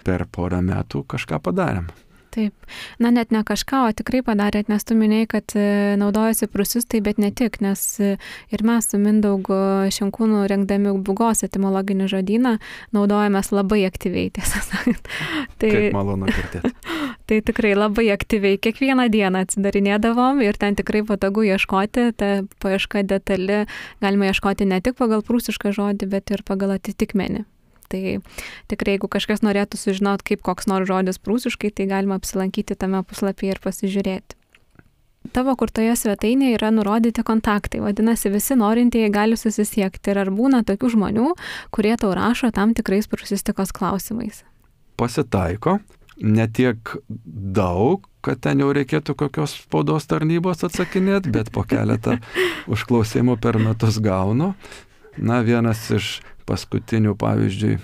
per porą metų kažką padarėm. Taip. Na, net ne kažką, o tikrai padarėt, nes tu minėjai, kad naudojasi prūsistai, bet ne tik, nes ir mes su Mindaugu Šinkūnu rengdami Būgos etimologinį žodyną naudojamės labai aktyviai, tiesą sakant. Kaip malonu girdėti. Tai tikrai labai aktyviai. Kiekvieną dieną atsidarinėdavom ir ten tikrai patogu ieškoti, ta paieška detali, galima ieškoti ne tik pagal prūsišką žodį, bet ir pagal atitikmenį. Tai tikrai, jeigu kažkas norėtų sužinoti, kaip koks nors žodis prūsiškai, tai galima apsilankyti tame puslapyje ir pasižiūrėti. Tavo kurtoje svetainėje yra nurodyti kontaktai, vadinasi, visi norintieji gali susisiekti. Ir ar būna tokių žmonių, kurie tau rašo tam tikrais prūsistikos klausimais? Pasitaiko, ne tiek daug, kad ten jau reikėtų kokios spaudos tarnybos atsakinėti, bet po keletą užklausimų per metus gaunu. Na, vienas iš paskutinių, pavyzdžiui,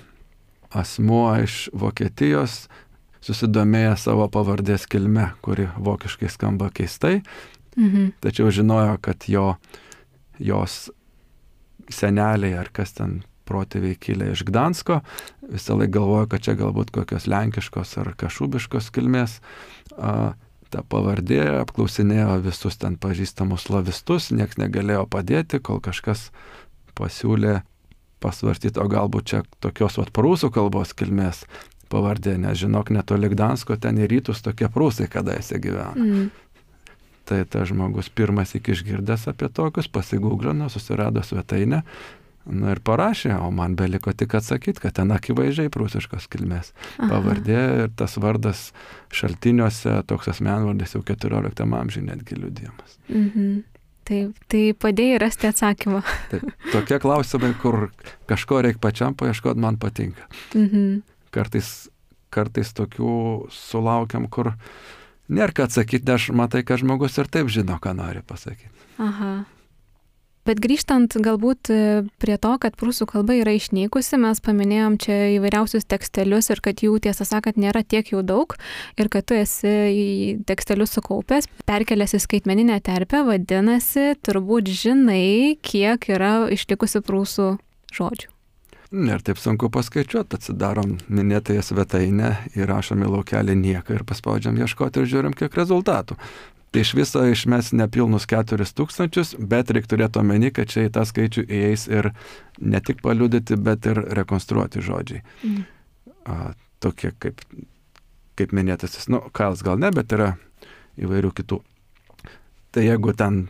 asmuo iš Vokietijos susidomėjo savo pavardės kilme, kuri vokiškai skamba keistai, tačiau žinojo, kad jos seneliai ar kas ten protėviai kilę iš Gdansko, visą laiką galvojo, kad čia galbūt kokios lenkiškos ar kašubiškos kilmės. Ta pavardė apklausinėjo visus ten pažįstamus slavistus, nieks negalėjo padėti, kol kažkas pasiūlė pasvarstyti, o galbūt čia tokios prūsų kalbos kilmės pavardė, nes žinok, netoli Gdansko, ten į rytus tokie prūsai kadaise gyvena. Tai ta žmogus pirmas iki išgirdęs apie tokius, pasigūglino, susirado svetainę, ir parašė, o man beliko tik atsakyti, kad ten akivaizdžiai prūsiškos kilmės pavardė ir tas vardas šaltiniuose, toks asmenvardis jau 14 amžiuje netgi liudijamas. Taip, tai padėjai rasti atsakymą. Taip, tokie klausimai, kur kažko reikia pačiam paieškoti, man patinka. Kartais tokių sulaukiam, kur nėra ką atsakyti, nes matai, kad žmogus ir taip žino, ką nori pasakyti. Bet grįžtant galbūt prie to, kad prūsų kalba yra išnykusi, mes paminėjom čia įvairiausius tekstelius ir kad jų, tiesą sakant, nėra tiek jau daug ir kad tu esi į tekstelius sukaupęs, perkelęs į skaitmeninę terpę, vadinasi, turbūt žinai, kiek yra išlikusi prūsų žodžių. Ir taip sunku paskaičiuoti, atsidarom minėtąją svetainę, įrašom į laukelį nieką ir paspaudžiam ieškoti ir žiūrim, kiek rezultatų. Tai iš viso išmes nepilnus 4000, bet reikia turėti omeny, kad čia į tą skaičių įeis ir ne tik paliudyti, bet ir rekonstruoti žodžiai. Tokie kaip minėtasis, Kailas gal ne, bet yra įvairių kitų. Tai jeigu ten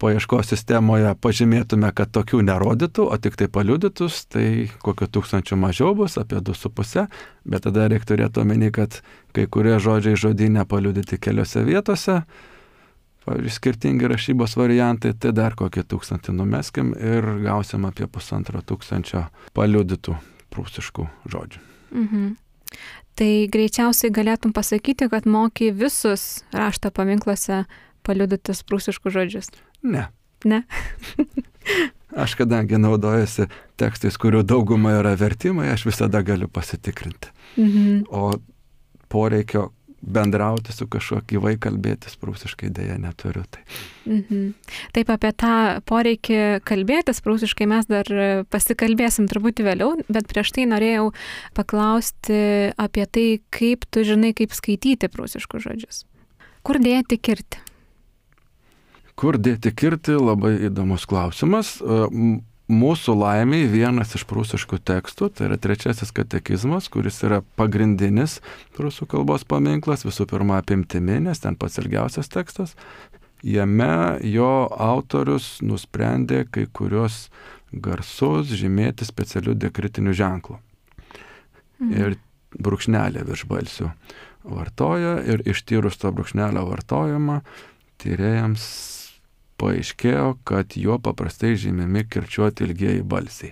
paieškos sistemoje pažymėtume, kad tokių nerodytų, o tik tai paliudytus, tai kokio 1000 mažiau bus, apie 2,5, bet tada reikia turėti omeny, kad kai kurie žodžiai žodyne paliudyti keliose vietose, pavyzdžiui, skirtingi rašybos variantai, tai dar kokį 1000 numeskim ir gausim apie 1500 paliudytų prūsiškų žodžių. Tai greičiausiai galėtum pasakyti, kad moki visus rašto paminkluose paliudytus prūsiškus žodžius. Ne. Aš kadangi naudojasi tekstais, kurių dauguma yra vertimai, aš visada galiu pasitikrinti. O poreikio bendrauti su kažkuo gyvai kalbėtis prūsiškai dėja neturiu. Taip, apie tą poreikį kalbėtis prūsiškai mes dar pasikalbėsim truputį vėliau, bet prieš tai norėjau paklausti apie tai, kaip tu žinai, kaip skaityti prūsiškus žodžius. Kur dėti kirtį? Kur dėti kirtį, labai įdomus klausimas. Mūsų laimiai vienas iš prūsiškų tekstų, tai yra 3 katekizmas, kuris yra pagrindinis prūsų kalbos paminklas, visų pirma apimtimi, nes ten pats ilgiausias tekstas. Jame jo autorius nusprendė kai kurios garsus žymėti specialių diakritinių ženklų. Ir brūkšnelį virš balsių vartoja ir ištyrus to brūkšnelio vartojimą, tyrėjams paaiškėjo, kad juo paprastai žymimi kirčiuoti ilgieji balsiai.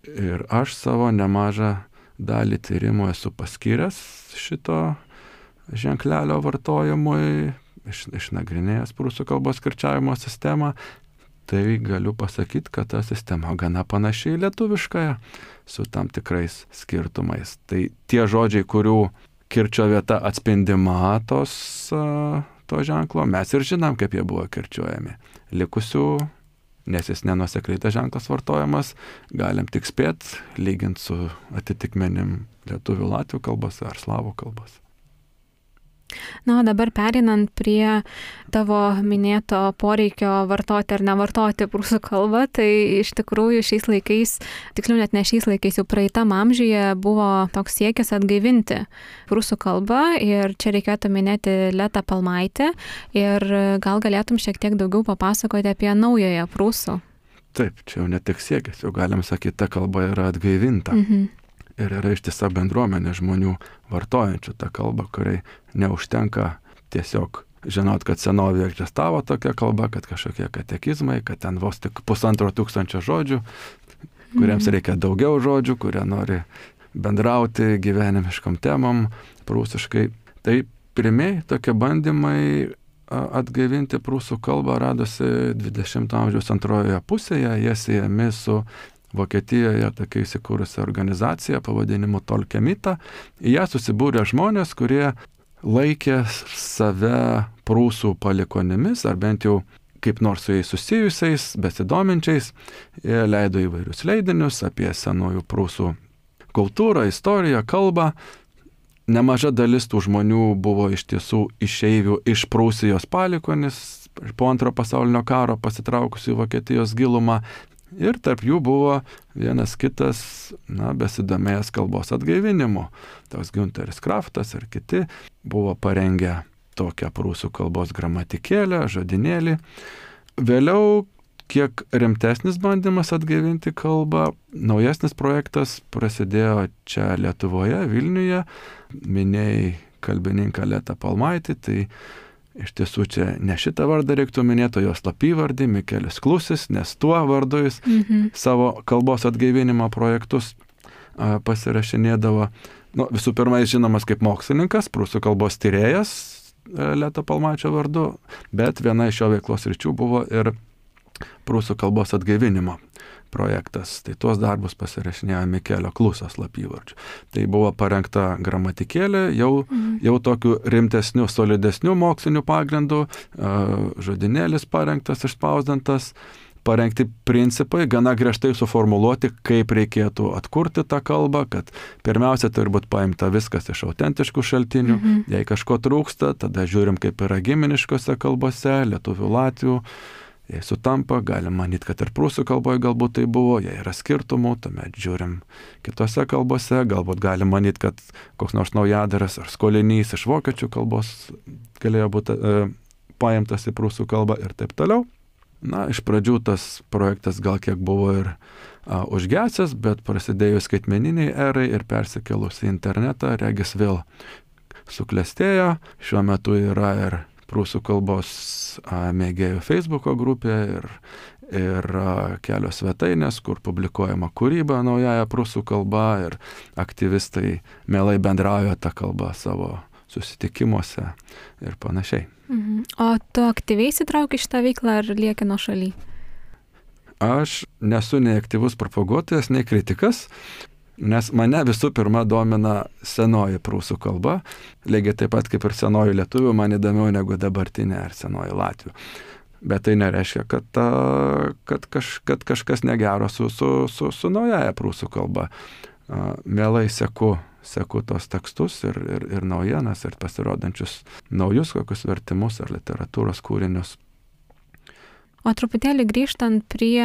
Ir aš savo nemažą dalį tyrimų esu paskyręs šito ženklelio vartojimui, išnagrinėjęs prūsų kalbos kirčiavimo sistemą, tai galiu pasakyti, kad ta sistema gana panašiai lietuviškąją, su tam tikrais skirtumais. Tai tie žodžiai, kurių kirčio vieta atspindima to ženklo, mes ir žinom, kaip jie buvo kirčiuojami. Likusių, nes jis nenuosekliai tas ženklas vartojamas, galim tik spėti, lyginti su atitikmenim lietuvių latvių kalbose ar slavų kalbose. Na, o dabar pereinant prie tavo minėto poreikio vartoti ar nevartoti prūsų kalbą, tai iš tikrųjų šiais laikais, tiksliau net ne šiais laikais, jau praeitam amžiuje buvo toks siekis atgaivinti prūsų kalbą ir čia reikėtų minėti Letą Palmaitę ir gal galėtum šiek tiek daugiau papasakoti apie naująją prūsų. Taip, čia jau ne tik siekis, jau galim sakyti, ta kalba yra atgaivinta. Ir yra ištisa bendruomenė žmonių vartojančių tą kalbą, kuriai neužtenka tiesiog žinot, kad senovėje egzistavo tokia kalba, kad kažkokie katekizmai, kad ten vos tik 1500 žodžių, kuriems reikia daugiau žodžių, kurie nori bendrauti gyvenimiškom temom prūsiškai. Tai pirmieji tokie bandymai atgaivinti prūsų kalbą radosi 20 amžiaus antrojoje pusėje, jie siejami su Vokietijoje tokia įsikūrusi organizacija pavadinimu Tolkemita. Į ją susibūrė žmonės, kurie laikė save prūsų palikonimis, ar bent jau kaip nors su jais susijusiais, besidominčiais. Jie leido įvairius leidinius apie senųjų prūsų kultūrą, istoriją, kalbą. Nemaža dalis tų žmonių buvo iš tiesų išeivių iš Prūsijos palikonis, po Antrojo pasaulinio karo pasitraukusių į Vokietijos gilumą. Ir tarp jų buvo vienas kitas, besidomėjęs kalbos atgaivinimu. Toks Günteris Kraftas ir kiti buvo parengę tokią prūsų kalbos gramatikėlę, žodinėlį. Vėliau kiek rimtesnis bandymas atgaivinti kalbą, naujesnis projektas prasidėjo čia Lietuvoje, Vilniuje. Minėjai kalbininką Letą Palmaitį, tai iš tiesų čia ne šitą vardą reiktų minėti, o jo slapyvardį Mikelis Klusis, nes tuo vardu jis savo kalbos atgaivinimo projektus pasirašinėdavo. Visų pirma, jis žinomas kaip mokslininkas, prūsų kalbos tyrėjas Leto Palmaičio vardu, bet viena iš jo veiklos ryčių buvo ir prūsų kalbos atgaivinimo projektas. Tai tuos darbus pasirašinėjo Mikelio Kluso slapyvardžiu. Tai buvo parengta gramatikėlė, jau tokiu rimtesniu, solidesniu moksliniu pagrindu, žodinėlis parengtas, išspausdintas, parengti principai, gana griežtai suformuluoti, kaip reikėtų atkurti tą kalbą, kad pirmiausia turi būti paimta viskas iš autentiškų šaltinių, jei kažko trūksta, tada žiūrim, kaip yra giminiškose kalbose, lietuvių, latvių. Jei sutampa, galim manyti, kad ir prūsų kalboje galbūt tai buvo, jei yra skirtumų, tuomet žiūrim kitose kalbose, galbūt galim manyti, kad koks nors naujadaras ar skolinys iš vokiečių kalbos galėjo būti paimtas į prūsų kalbą ir taip toliau. Iš pradžių tas projektas gal kiek buvo ir užgesęs, bet prasidėjus skaitmeniniai erai ir persikėlus į internetą, regis vėl suklestėjo. Šiuo metu yra ir prūsų kalbos mėgėjų Facebooko grupė ir kelios svetainės, kur publikuojama kūryba naujaja prūsų kalba ir aktyvistai mielai bendrauja tą kalbą savo susitikimuose ir panašiai. O tu aktyviai įsitrauki šitą veiklą ar lieki nuošaly? Aš nesu nei aktyvus propaguotojas, nei kritikas. Nes mane visų pirma domina senoji prūsų kalba, lygiai taip pat kaip ir senoji lietuvių, man įdomiau negu dabartinė ar senoji latvių. Bet tai nereiškia, kad kažkas negero su naujaja prūsų kalba. Mielai seku tos tekstus ir naujienas, ir pasirodančius naujus kokius vertimus ar literatūros kūrinius. O truputėlį grįžtant prie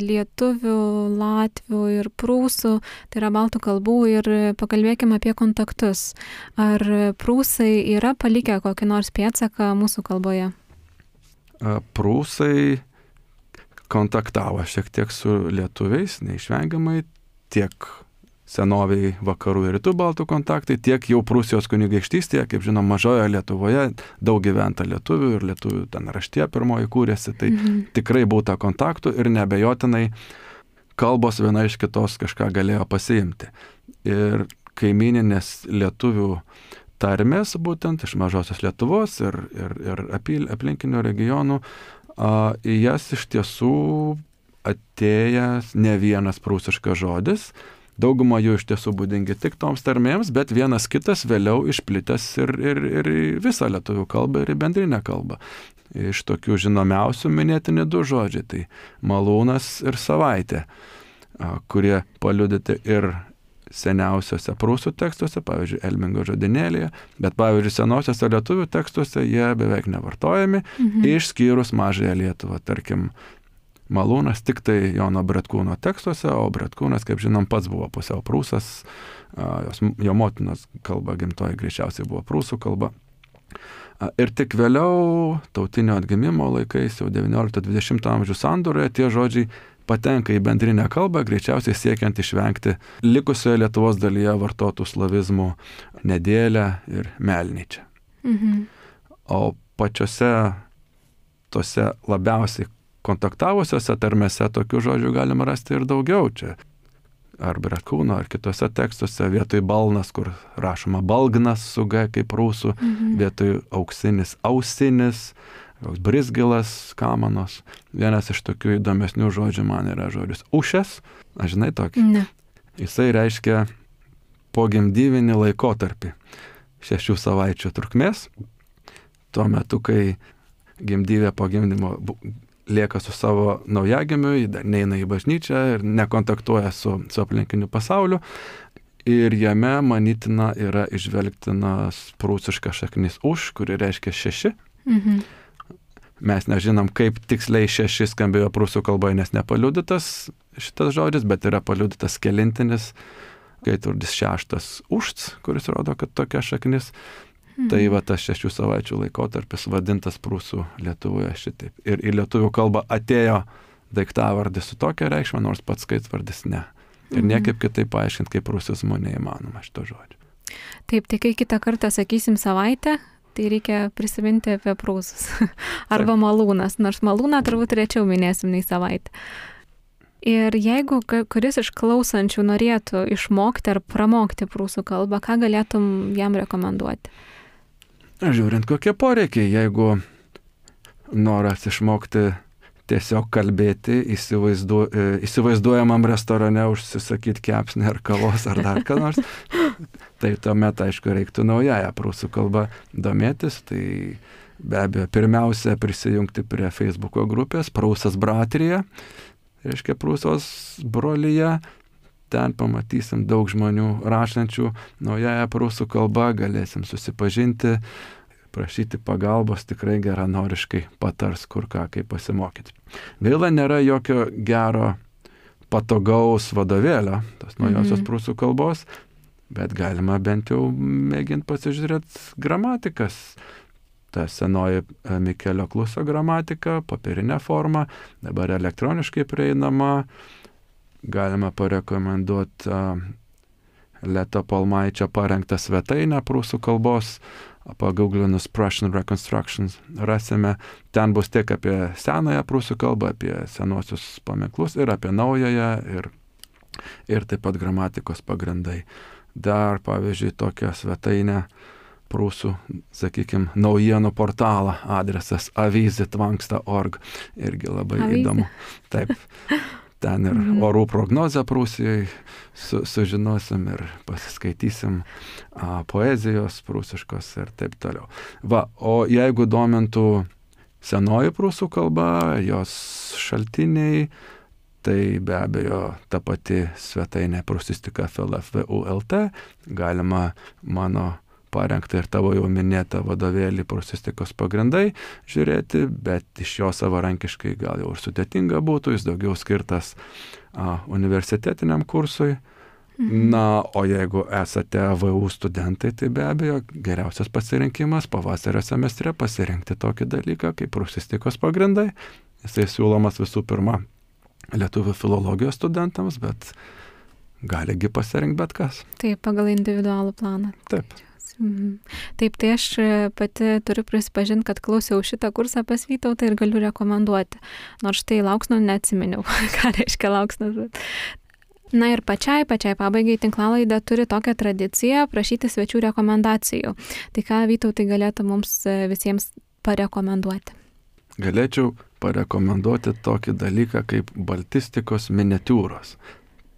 lietuvių, latvių ir prūsų, tai yra baltų kalbų, ir pakalbėkime apie kontaktus. Ar prūsai yra palikę kokį nors pėdsaką mūsų kalboje? Prūsai kontaktavo šiek tiek su lietuviais, neišvengiamai, tiek senoviai vakarų ir rytų baltų kontaktai, tiek jau Prūsijos kunigaikštystėje, kaip žinom, mažoje Lietuvoje daug gyventa lietuvių ir lietuvių ten raštė pirmoji kūrėsi, tai tikrai būta kontaktų ir neabejotinai kalbos viena iš kitos kažką galėjo pasiimti. Ir kaimininės lietuvių tarmės, būtent iš mažosios Lietuvos ir aplinkinių regionų, į jas iš tiesų atėjęs ne vienas prūsiškas žodis. Dauguma jų iš tiesų būdingi tik toms tarmėms, bet vienas kitas vėliau išplitęs ir visą lietuvių kalbą ir į bendrinę kalbą. Iš tokių žinomiausių minėtini du žodžiai, tai malūnas ir savaitė, kurie paliudyti ir seniausiose prūsų tekstuose, pavyzdžiui, Elmingo žodinėlyje, bet pavyzdžiui, senosiuose lietuvių tekstuose jie beveik nevartojami, išskyrus Mažąją Lietuvą, tarkim, malūnas tik tai Jono Bretkūno tekstuose, o Bretkūnas, kaip žinom, pats buvo pusiau prūsas, jo motinos kalba gimtoji greičiausiai buvo prūsų kalba. Ir tik vėliau, tautinio atgimimo laikais, jau 19-20 amžių sandūroje, tie žodžiai patenka į bendrinę kalbą, greičiausiai siekiant išvengti likusioje Lietuvos dalyje vartotų slavizmų nedėlę ir melnyčią. O pačiose tose labiausiai kontaktavusiose tarmėse tokių žodžių galima rasti ir daugiau čia. Ar Bretkūno, ar kitose tekstuose vietoj balnas, kur rašoma balgnas su G kaip prūsų, vietoj auksinis, ausinis, brizgilas, kamanos. Vienas iš tokių įdomesnių žodžių man yra žodis ušės. Aš žinai tokį? Ne. Jisai reiškia pogimdyvinį laikotarpį 6 savaičių trukmės. Tuo metu, kai gimdyvė po gimdymo lieka su savo naujagimiu, neina į bažnyčią ir nekontaktuoja su aplinkiniu pasauliu. Ir jame, manytina, yra išvelgtinas prūsiškas šaknis už, kuri reiškia 6. Mes nežinom, kaip tiksliai 6 skambėjo prūsų kalboje, nes nepaliudytas šitas žodis, bet yra paliudytas kelintinis, gaiturdis 6 užts, kuris rodo, kad tokia šaknis. Tai va tas 6 savaičių laikotarpis vadintas prūsų Lietuvoje šitaip. Ir į lietuvių kalbą atėjo daiktavardis su tokia reikšme, nors pats skaitvardis ne. Ir niekaip kitaip paaiškinti, kaip prūsizmo neįmanoma šito žodžio. Taip, tai kai kitą kartą sakysim savaitę, tai reikia prisiminti apie prūsus. Arba malūnas, nors malūną turbūt rečiau minėsim nei savaitę. Ir jeigu kuris iš klausančių norėtų išmokti ar pramokti prūsų kalbą, ką galėtum jam rekomenduoti? Žiūrint, kokie poreikiai, jeigu noras išmokti tiesiog kalbėti įsivaizduojamam restorane, užsisakyti kepsnį ar kavos ar dar ką nors, tai tuomet, aišku, reiktų naująją prūsų kalbą domėtis. Tai be abejo, pirmiausia, prisijungti prie Facebooko grupės Prūsas Bratrija, reiškia Prūsos brolyje. Ten pamatysim daug žmonių rašančių naująją prūsų kalbą, galėsim susipažinti, prašyti pagalbos, tikrai geranoriškai patars, kur ką, kaip pasimokyti. Gaila, nėra jokio gero patogaus vadovėlio tos naujosios prūsų kalbos, bet galima bent jau mėginti pasižiūrėti gramatikas. Ta senoji Mikelio Kluso gramatika, papirinė forma, dabar elektroniškai prieinama. Galima parekomenduoti Leto Palmaičio parengtą svetainę prūsų kalbos, pagooglinus Prussian Reconstructions rasime. Ten bus tiek apie senąją prūsų kalbą, apie senuosius paminklus ir apie naująją ir taip pat gramatikos pagrindai. Dar, pavyzdžiui, tokią svetainę prūsų, sakykime, naujienų portalą, adresas avyzė.org, irgi labai įdomu. Taip. Ten ir orų prognozę Prūsijai sužinosim ir pasiskaitysim poezijos prūsiškos ir taip toliau. Va, o jeigu domintų senoji prūsų kalba, jos šaltiniai, tai be abejo ta pati svetainė Prūsistika FLFVU.lt, galima mano parengtą ir tavo jau minėtą vadovėlį Prūsistikos pagrindai žiūrėti, bet iš jo savarankiškai gal jau ir sudėtinga būtų, jis daugiau skirtas universitetiniam kursui. Na, o jeigu esate VU studentai, tai be abejo geriausias pasirinkimas pavasario semestre pasirinkti tokį dalyką kaip Prūsistikos pagrindai. Jisai siūlomas visų pirma lietuvių filologijos studentams, bet galigi pasirinkti bet kas. Taip, pagal individualų planą. Taip. Taip, tai aš pati turiu prisipažinti, kad klausiau šitą kursą pas Vytautą ir galiu rekomenduoti. Nors tai lauksnų neatsiminiau, ką reiškia lauksnų. Na ir pačiai pabaigai tinklalaidė turi tokią tradiciją prašyti svečių rekomendacijų. Tai ką Vytautai galėtų mums visiems parekomenduoti? Galėčiau parekomenduoti tokį dalyką kaip baltistikos miniatiūros.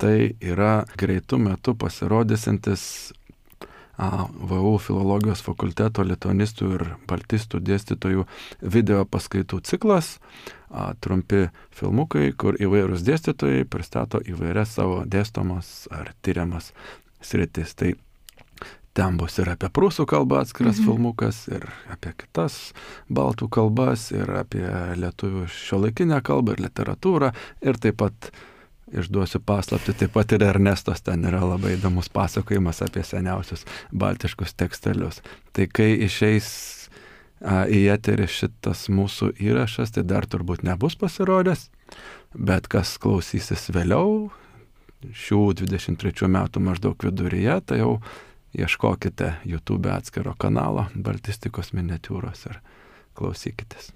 Tai yra greitų metų pasirodysintis VU filologijos fakulteto lituanistų ir baltistų dėstytojų video paskaitų ciklas, trumpi filmukai, kur įvairūs dėstytojai pristato įvairias savo dėstomas ar tyriamas sritis. Tai ten bus ir apie prūsų kalbą atskiras filmukas, ir apie kitas baltų kalbas, ir apie lietuvių šiuolaikinę kalbą ir literatūrą, ir taip pat išduosiu paslaptį, taip pat ir Ernestos ten yra labai įdomus pasakojimas apie seniausius baltiškus tekstelius. Tai kai išeis į eterį šitas mūsų įrašas, tai dar turbūt nebus pasirodęs, bet kas klausysis vėliau, šių 23 metų maždaug viduryje, tai jau ieškokite YouTube atskiro kanalo baltistikos miniatiūros ir klausykitės.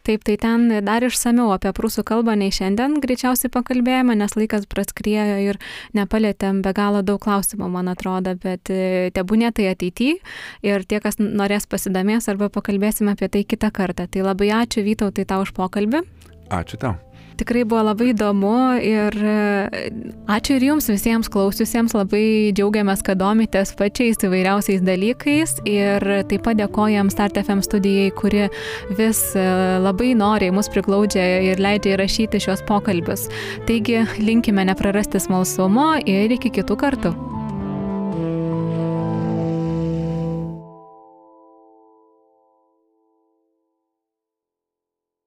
Taip, tai ten dar išsamiau apie prūsų kalbą nei šiandien greičiausiai pakalbėjome, nes laikas praskriejo ir nepalėtėm be galo daug klausimų, man atrodo, bet tebūnie tai ateityje ir tie, kas norės pasidomės arba pakalbėsime apie tai kitą kartą. Tai labai ačiū Vytautai tau už pokalbį. Ačiū tau. Tikrai buvo labai įdomu ir ačiū ir jums visiems klausiusiems, labai džiaugiamės, kad domitės pačiais įvairiausiais dalykais ir taip pat dėkojam Start FM studijai, kuri vis labai noriai mus priglaudžia ir leidžia įrašyti šios pokalbius. Taigi linkime neprarasti smalsumo ir iki kitų kartų.